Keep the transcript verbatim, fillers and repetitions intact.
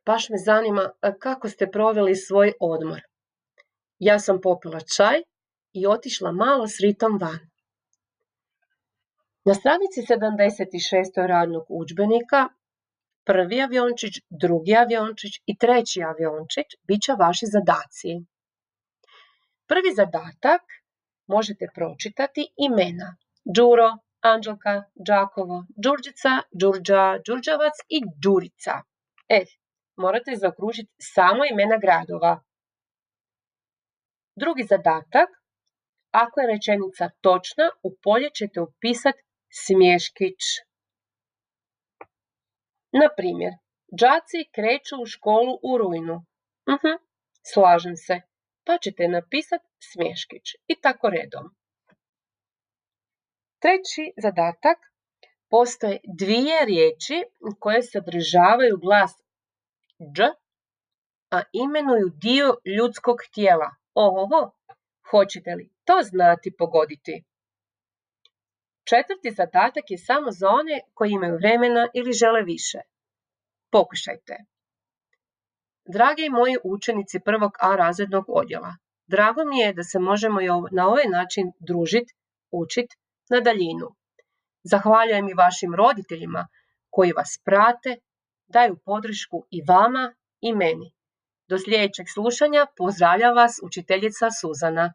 Baš me zanima kako ste proveli svoj odmor. Ja sam popila čaj i otišla malo s Ritom van. Na stranici sedamdeset šest radnog udžbenika prvi aviončić, drugi aviončić i treći aviončić bit će vaši zadaci. Prvi zadatak možete pročitati imena Đuro, Anđelka, Đakovo, Đurđica, Đurđa, Đurđevac i Đurica. E, morate zaokružiti samo imena gradova. Drugi zadatak, ako je rečenica točna, u polje ćete upisati smješkić. Na primjer, đaci kreću u školu u rujnu. Uh-huh, slažem se, pa ćete napisati smješkić i tako redom. Treći zadatak, postoje dvije riječi koje sadržavaju glas dž, a imenuju dio ljudskog tijela. Ohoho, hoćete li to znati pogoditi? Četvrti zadatak je samo za one koji imaju vremena ili žele više. Pokušajte. Dragi moji učenici prvog A razrednog odjela, drago mi je da se možemo na ovaj način družiti, učiti na daljinu. Zahvaljujem i vašim roditeljima koji vas prate, daju podršku i vama i meni. Do sljedećeg slušanja pozdravlja vas učiteljica Suzana.